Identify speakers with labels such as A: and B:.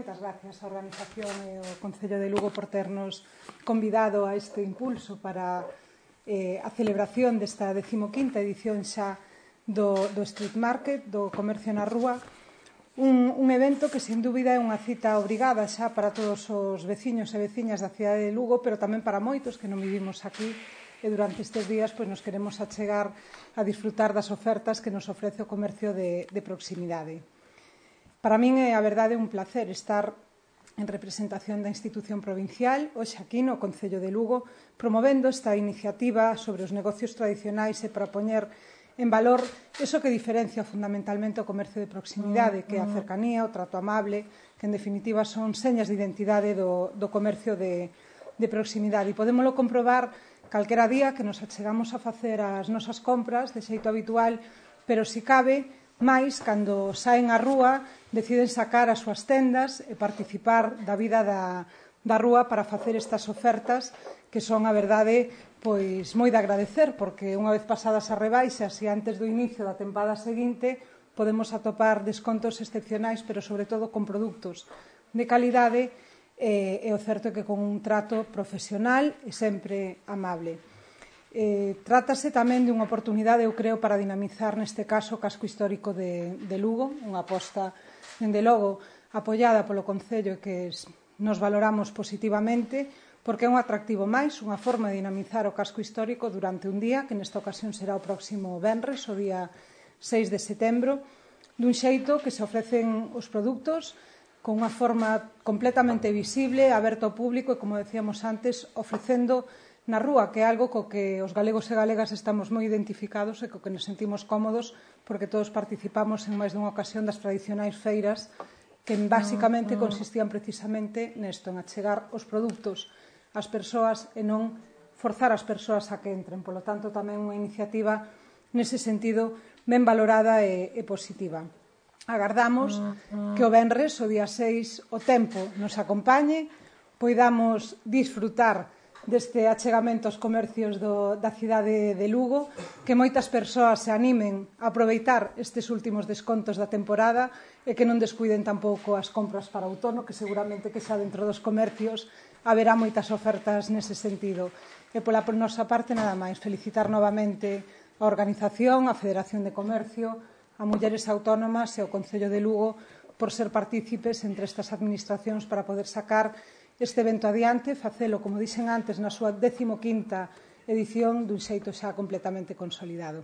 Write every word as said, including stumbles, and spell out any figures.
A: moitas gracias á organización e ao Concello de Lugo por ternos convidado a este impulso para eh, a celebración desta decimoquinta edición xa do, do Street Market, do comercio na rúa, un, un evento que, sin dúbida, é unha cita obrigada xa para todos os veciños e veciñas da cidade de Lugo, pero tamén para moitos que non vivimos aquí e durante estes días pois, nos queremos achegar a disfrutar das ofertas que nos ofrece o comercio de, de proximidade. Para min é, a verdade, un placer estar en representación da institución provincial, hoxe aquí no Concello de Lugo, promovendo esta iniciativa sobre os negocios tradicionais e para poñer en valor iso que diferencia fundamentalmente o comercio de proximidade, que é a cercanía, o trato amable, que en definitiva son señas de identidade do, do comercio de, de proximidade. E podémolo comprobar calquera día que nos achegamos a facer as nosas compras de xeito habitual, pero si cabe máis cando saen á rúa, deciden sacar as súas tendas e participar da vida da, da rúa para facer estas ofertas que son, a verdade, pois moi de agradecer, porque unha vez pasadas as rebaixas e antes do inicio da tempada seguinte podemos atopar descontos excepcionais, pero sobre todo con produtos de calidade e, e o certo é que con un trato profesional e sempre amable. Eh, trátase tamén de unha oportunidade, eu creo, para dinamizar neste caso o casco histórico de, de Lugo, unha aposta, dende logo, apoiada polo Concello que nos valoramos positivamente, porque é un atractivo máis, unha forma de dinamizar o casco histórico durante un día, que nesta ocasión será o próximo venres, o día seis de setembro, dun xeito que se ofrecen os produtos con unha forma completamente visible, aberta ao público e, como decíamos antes, ofrecendo na rúa, que é algo co que os galegos e galegas estamos moi identificados e co que nos sentimos cómodos porque todos participamos en máis dunha ocasión das tradicionais feiras que basicamente consistían precisamente nesto, en achegar os produtos ás persoas e non forzar as persoas a que entren. Polo tanto, tamén unha iniciativa nese sentido ben valorada e, e positiva. Agardamos que o venres, o día seis, o tempo nos acompañe, poidamos disfrutar deste achegamento aos comercios do, da cidade de Lugo, que moitas persoas se animen a aproveitar estes últimos descontos da temporada e que non descuiden tampouco as compras para outono, que seguramente que xa dentro dos comercios haberá moitas ofertas nese sentido. E pola nosa parte, nada máis, felicitar novamente a organización, a Federación de Comercio, a Mulleres Autónomas e ao Concello de Lugo por ser partícipes entre estas administracións para poder sacar este evento adiante, facelo, como dixen antes, na súa decimoquinta edición dun xeito xa completamente consolidado.